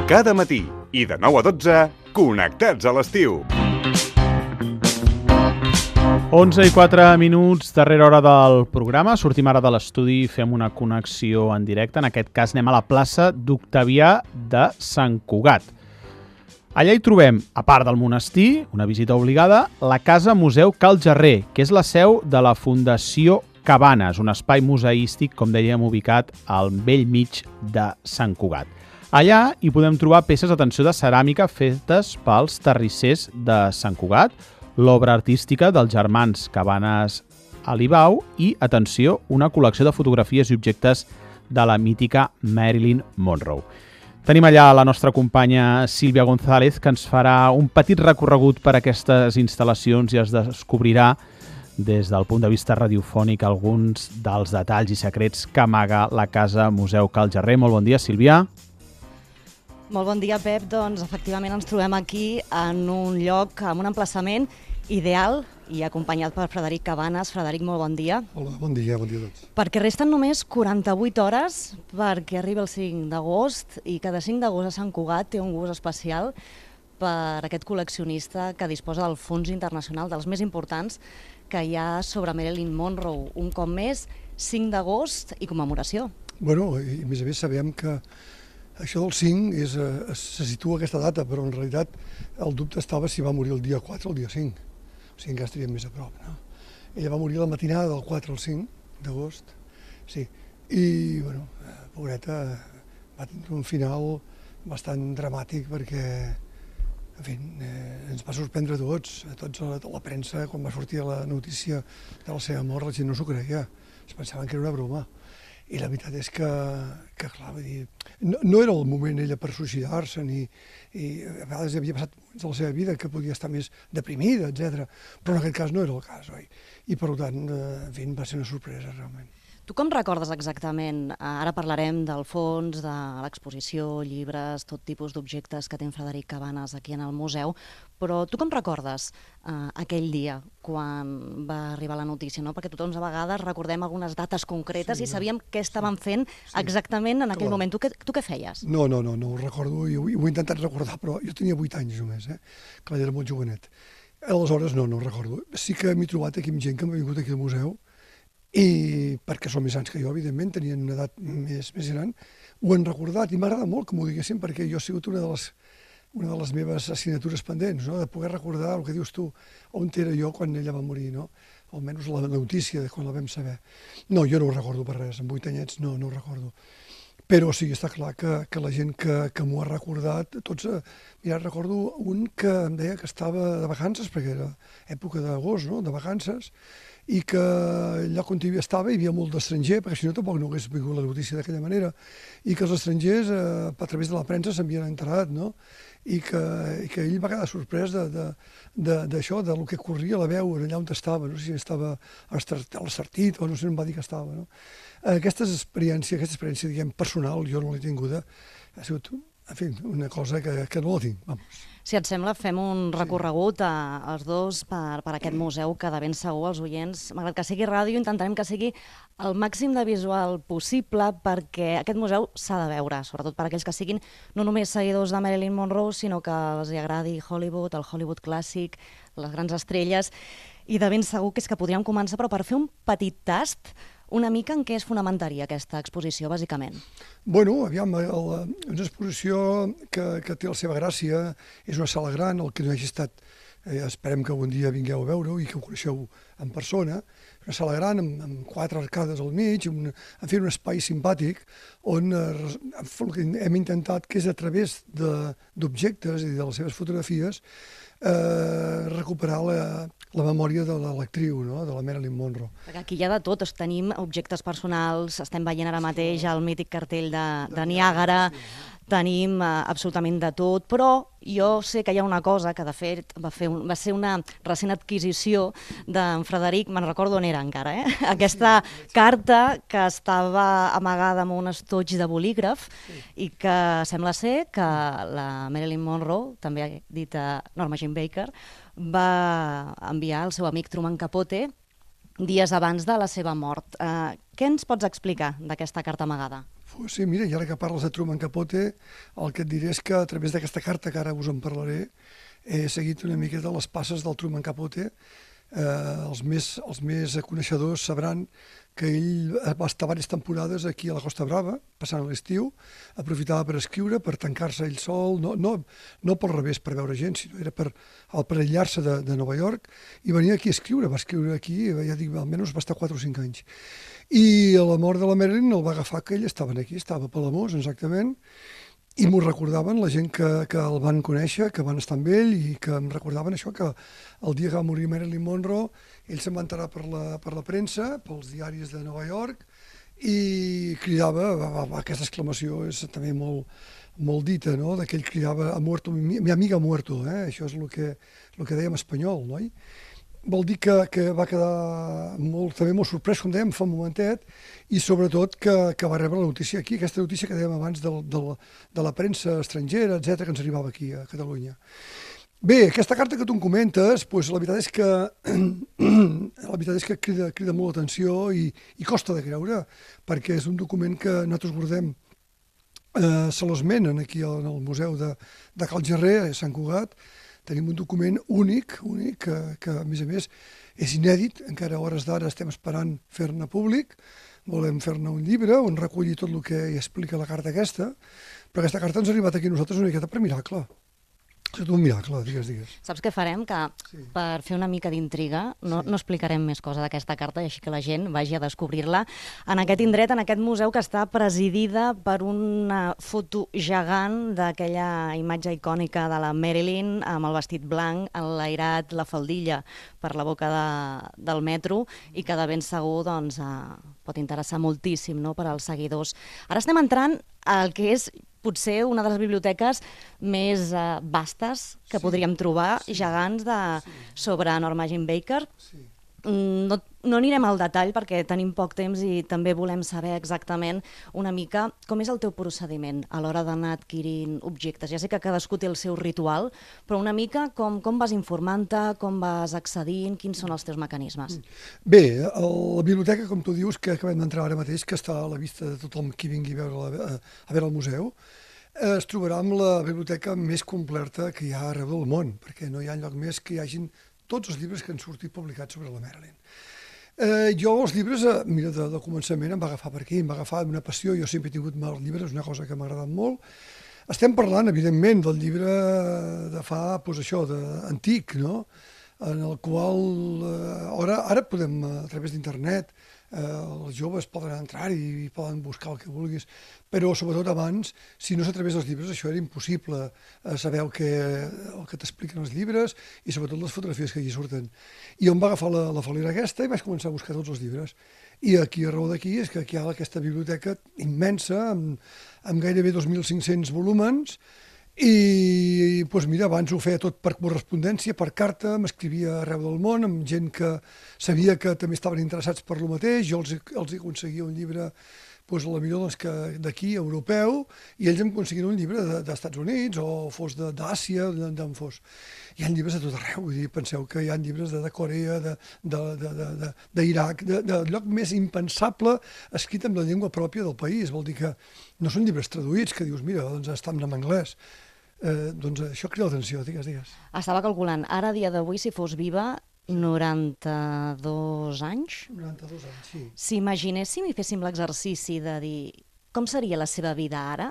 Cada matí i de 9 a 12, connectats a l'estiu. 11:04, darrera hora del programa. Sortim ara de l'estudi i fem una connexió en directe. En aquest cas anem a la plaça d'Octavià de Sant Cugat. Allà hi trobem, a part del monestir, una visita obligada, la Casa Museu Cal Jarrer, que és la seu de la Fundació Cabanes, un espai museístic, com dèiem, ubicat al bell mig de Sant Cugat. Allà hi podem trobar peces, atenció, de ceràmica fetes pels terrissers de Sant Cugat, l'obra artística dels germans Cabanes Alibau i, atenció, una col·lecció de fotografies i objectes de la mítica Marilyn Monroe. Tenim allà la nostra companya Sílvia González, que ens farà un petit recorregut per aquestes instal·lacions i es descobrirà des del punt de vista radiofònic alguns dels detalls i secrets que amaga la Casa Museu Cal Jarrer. Molt bon dia, Sílvia. Molt bon dia, Pep. Doncs efectivament ens trobem aquí en un lloc, en un emplaçament ideal i acompanyat per Frederic Cabanes. Frederic, molt bon dia. Hola, bon dia a tots. Perquè resten només 48 hores perquè arribi el 5 d'agost i cada 5 d'agost a Sant Cugat té un gust especial per aquest col·leccionista que disposa del fons internacional dels més importants que hi ha sobre Marilyn Monroe. Un cop més, 5 d'agost i commemoració. Bueno, i a més sabem que això del 5 se situa aquesta data, però en realitat el dubte estava si va morir el dia 4 o el dia 5. O sigui, encara estaríem més a prop, no? Ella va morir la matinada del 4 al 5 d'agost, sí. I, bueno, pobreta, va tenir un final bastant dramàtic perquè, en fi, ens va sorprendre a tots a la premsa, quan va sortir la notícia de la seva mort, la gent no s'ho creia, es pensaven que era una broma. I la veritat és que clar, vull dir, no era el moment ella per suïcidar-se, i a vegades havia passat moments de la seva vida que podia estar més deprimida, etc. Però en aquest cas no era el cas, oi? I per tant, en fi, va ser una sorpresa, realment. Tu com recordes exactament? Ara parlarem del fons, de l'exposició, llibres, tot tipus d'objectes que té en Frederic Cabanes aquí en el museu, però tu com recordes aquell dia quan va arribar la notícia, no? Perquè tothom a vegades recordem algunes dates concretes i sabíem què estaven fent exactament en aquell moment. Tu què feies? No ho recordo i ho he intentat recordar, però jo tenia 8 anys només, clar, era molt jovenet. Aleshores no ho recordo. Sí que m'he trobat aquí amb gent que m'ha vingut aquí al museu i perquè són més anys que jo, evidentment, tenien una edat més gran, ho han recordat i m'agrada molt que m'ho diguessin perquè jo he sigut una de les meves assignatures pendents, no? De poder recordar el que dius tu, on era jo quan ella va morir, no? Almenys la notícia de quan la vam saber. No, jo no ho recordo per res, amb 8 anyets no ho recordo. Però sí, està clar que la gent que m'ho ha recordat, tots, mira, recordo un que em deia que estava de vacances, perquè era època d'agost, no?, de vacances, i que allà on estava hi havia molt d'estranger, perquè si no tampoc no hagués vingut la notícia d'aquella manera, i que els estrangers a través de la premsa s'havien enterat, no?, i que ell va quedar sorprès d'això, del que corria la veu allà on estava, no sé si estava a l'Estartit o no sé on va dir que estava, no? Aquesta experiència, diguem, personal, jo no l'he tinguda, ha sigut, en fi, una cosa que no la tinc, vamos. Si et sembla, fem un recorregut els dos per aquest museu, que de ben segur els oients, malgrat que sigui ràdio, intentarem que sigui el màxim de visual possible perquè aquest museu s'ha de veure, sobretot per aquells que siguin no només seguidors de Marilyn Monroe, sinó que els agradi Hollywood, el Hollywood clàssic, les grans estrelles, i de ben segur que és que podríem començar, però per fer un petit tast, una mica en què es fonamentaria aquesta exposició, bàsicament? Bueno, aviam, una exposició que té la seva gràcia, és una sala gran, el que no hagi estat, esperem que algun dia vingueu a veure-ho i que ho coneixeu en persona, una sala gran amb 4 arcades al mig, en fi, un espai simpàtic, on hem intentat que és a través d'objectes i de les seves fotografies recuperar la memòria de l'actriu, no?, de la Marilyn Monroe. Perquè aquí hi ha de tot, tenim objectes personals, estem veient ara mateix el mític cartell de Niàgara, tenim absolutament de tot, però jo sé que hi ha una cosa que de fet va ser una recent adquisició d'en Frederic, me'n recordo on era encara, aquesta carta que estava amagada amb un estoig de bolígraf i que sembla ser que la Marilyn Monroe, també dita Norma Jean Baker, va enviar al seu amic Truman Capote dies abans de la seva mort. Què ens pots explicar d'aquesta carta amagada? Sí, mira, i ara que parles de Truman Capote, el que et diré és que a través d'aquesta carta, que ara us en parlaré, he seguit una miqueta les passes del Truman Capote. Els més coneixedors sabran que ell va estar diverses temporades aquí a la Costa Brava, passant l'estiu, aprofitava per escriure, per tancar-se ell sol, no pel revés, per veure gent, sinó era per aïllar-se de Nova York, i venia aquí a escriure, va escriure aquí, ja dic, almenys va estar 4 o 5 anys. I a la mort de la Marilyn el va agafar que ell estava aquí, estava a Palamós, exactament, i m'ho recordaven la gent que el van conèixer, que van estar amb ell, i que em recordaven això, que el dia que va morir Marilyn Monroe, ell se'n va enterar per la premsa, pels diaris de Nova York, i cridava, aquesta exclamació és també molt dita, no?, que ell cridava "ha muerto mi amiga ha muerto", això és el que dèiem espanyol, no? Vol dir que va quedar també molt sorprès, com dèiem fa un momentet, i sobretot que va rebre la notícia aquí, aquesta notícia que dèiem abans de la premsa estrangera, etc que ens arribava aquí a Catalunya. Bé, aquesta carta que tu em comentes, la veritat és que crida molt l'atenció i costa de creure, perquè és un document que nosaltres guardem, se l'esmenen aquí al Museu de Cal Gerrer, a Sant Cugat. Tenim un document únic, que a més és inèdit, encara a hores d'ara estem esperant fer-ne públic, volem fer-ne un llibre on reculli tot el que hi explica la carta aquesta, però aquesta carta ens ha arribat aquí a nosaltres una miqueta per miracle. És un miracle, digues. Saps què farem? Que per fer una mica d'intriga no explicarem més cosa d'aquesta carta i així que la gent vagi a descobrir-la en aquest indret, en aquest museu que està presidida per una foto gegant d'aquella imatge icònica de la Marilyn amb el vestit blanc, enlairat la faldilla per la boca del metro i que de ben segur pot interessar moltíssim, no?, per als seguidors. Ara estem entrant al que és potser una de les biblioteques més vastes que podríem trobar, gegants sobre Norma Jean Baker. No anirem al detall perquè tenim poc temps i també volem saber exactament una mica com és el teu procediment a l'hora d'anar adquirint objectes. Ja sé que cadascú té el seu ritual, però una mica com vas informant-te, com vas accedint, quins són els teus mecanismes? Bé, la biblioteca, com tu dius, que acabem d'entrar ara mateix, que està a la vista de tothom qui vingui a veure el museu, es trobarà amb la biblioteca més completa que hi ha arreu del món, perquè no hi ha lloc més que hi hagin tots els llibres que han sortit publicats sobre la Marilyn. Jo els llibres, mira, de començament em va agafar per aquí, em va agafar una passió, jo sempre he tingut els llibres, és una cosa que m'ha agradat molt. Estem parlant, evidentment, del llibre de fa, això, antic, no?, en el qual ara podem, a través d'internet, els joves poden entrar i poden buscar el que vulguis, però sobretot abans, si no és a través dels llibres, això era impossible saber el que t'expliquen els llibres i sobretot les fotografies que allí surten. I em va agafar la fal·lera aquesta i vaig començar a buscar tots els llibres. I aquí, a raó d'aquí, és que aquí hi ha aquesta biblioteca immensa, amb gairebé 2.500 volúmens, i mira, abans ho feia tot per correspondència, per carta, m'escrivia arreu del món, amb gent que sabia que també estaven interessats per lo mateix, jo els aconseguia un llibre, potser d'aquí, europeu, i ells em aconseguien un llibre d'Estats Units, o fos d'Àsia, d'on fos. Hi ha llibres de tot arreu, vull dir, penseu que hi ha llibres de Corea, d'Iraq, del lloc més impensable, escrit amb la llengua pròpia del país, vol dir que no són llibres traduïts, que dius, mira, doncs estan en anglès. Doncs això crida l'atenció, digues. Estava calculant, ara a dia d'avui, si fos viva, 92 anys? 92 anys, sí. Si imaginéssim i féssim l'exercici de dir com seria la seva vida ara,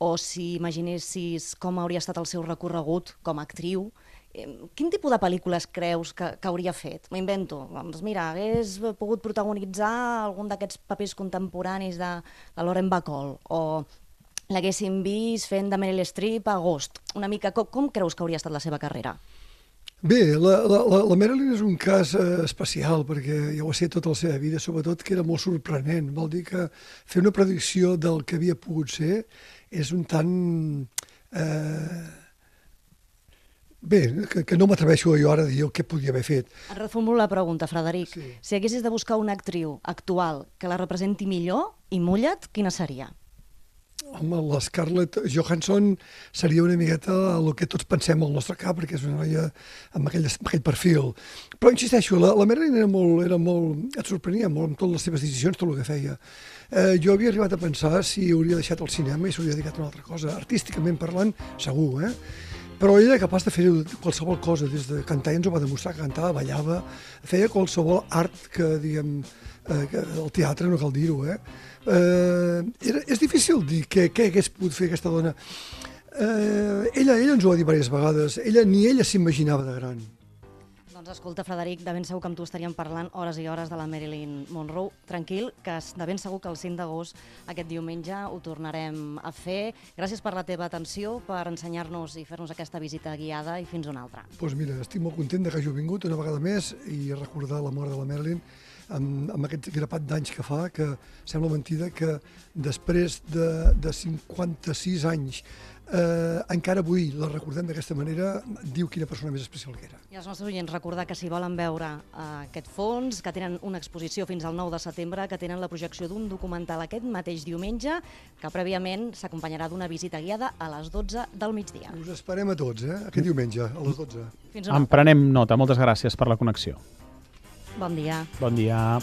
o si imaginessis com hauria estat el seu recorregut com a actriu, quin tipus de pel·lícules creus que hauria fet? M'ho invento. Doncs mira, hagués pogut protagonitzar algun d'aquests papers contemporanis de Lauren Bacall, o l'haguéssim vist fent de Meryl Streep a Ghost. Una mica, com creus que hauria estat la seva carrera? Bé, la Marilyn és un cas especial, perquè ja ho ha set tota la seva vida, sobretot que era molt sorprenent. Vol dir que fer una predicció del que havia pogut ser és un tant... Bé, que no m'atreveixo jo ara a dir el que podia haver fet. Et reformulo la pregunta, Frederic. Sí. Si haguessis de buscar una actriu actual que la representi millor i mulla't, quina seria? Home, la Scarlett Johansson seria una miqueta el que tots pensem al nostre cap, perquè és una noia amb aquell perfil. Però insisteixo, la Marilyn era molt... Et sorprenia molt amb totes les seves decisions, tot el que feia. Jo havia arribat a pensar si hauria deixat el cinema i s'hauria dedicat a una altra cosa. Artísticament parlant, segur, Però ella era capaç de fer qualsevol cosa, des de cantar, ja ens ho va demostrar, que cantava, ballava, feia qualsevol art que, diguem, el teatre, no cal dir-ho, és difícil dir què hagués pogut fer aquesta dona. Ella ens ho va dir diverses vegades, ni ella s'imaginava de gran. Doncs escolta, Frederic, de ben segur que amb tu estaríem parlant hores i hores de la Marilyn Monroe. Tranquil, que de ben segur que el 5 d'agost, aquest diumenge, ho tornarem a fer. Gràcies per la teva atenció, per ensenyar-nos i fer-nos aquesta visita guiada, i fins una altra. Doncs mira, estic molt content que hagi vingut una vegada més i recordar la mort de la Marilyn amb aquest grapat d'anys que fa, que sembla mentida que després de 56 anys encara avui la recordem d'aquesta manera, diu quina persona més especial que era. I als nostres oients recordar que si volen veure aquest fons, que tenen una exposició fins al 9 de setembre, que tenen la projecció d'un documental aquest mateix diumenge, que prèviament s'acompanyarà d'una visita guiada a les 12 del migdia. Us esperem a tots, aquest diumenge, a les 12. Fins una altra. En prenem nota. Moltes gràcies per la connexió. Bon dia. Bon dia.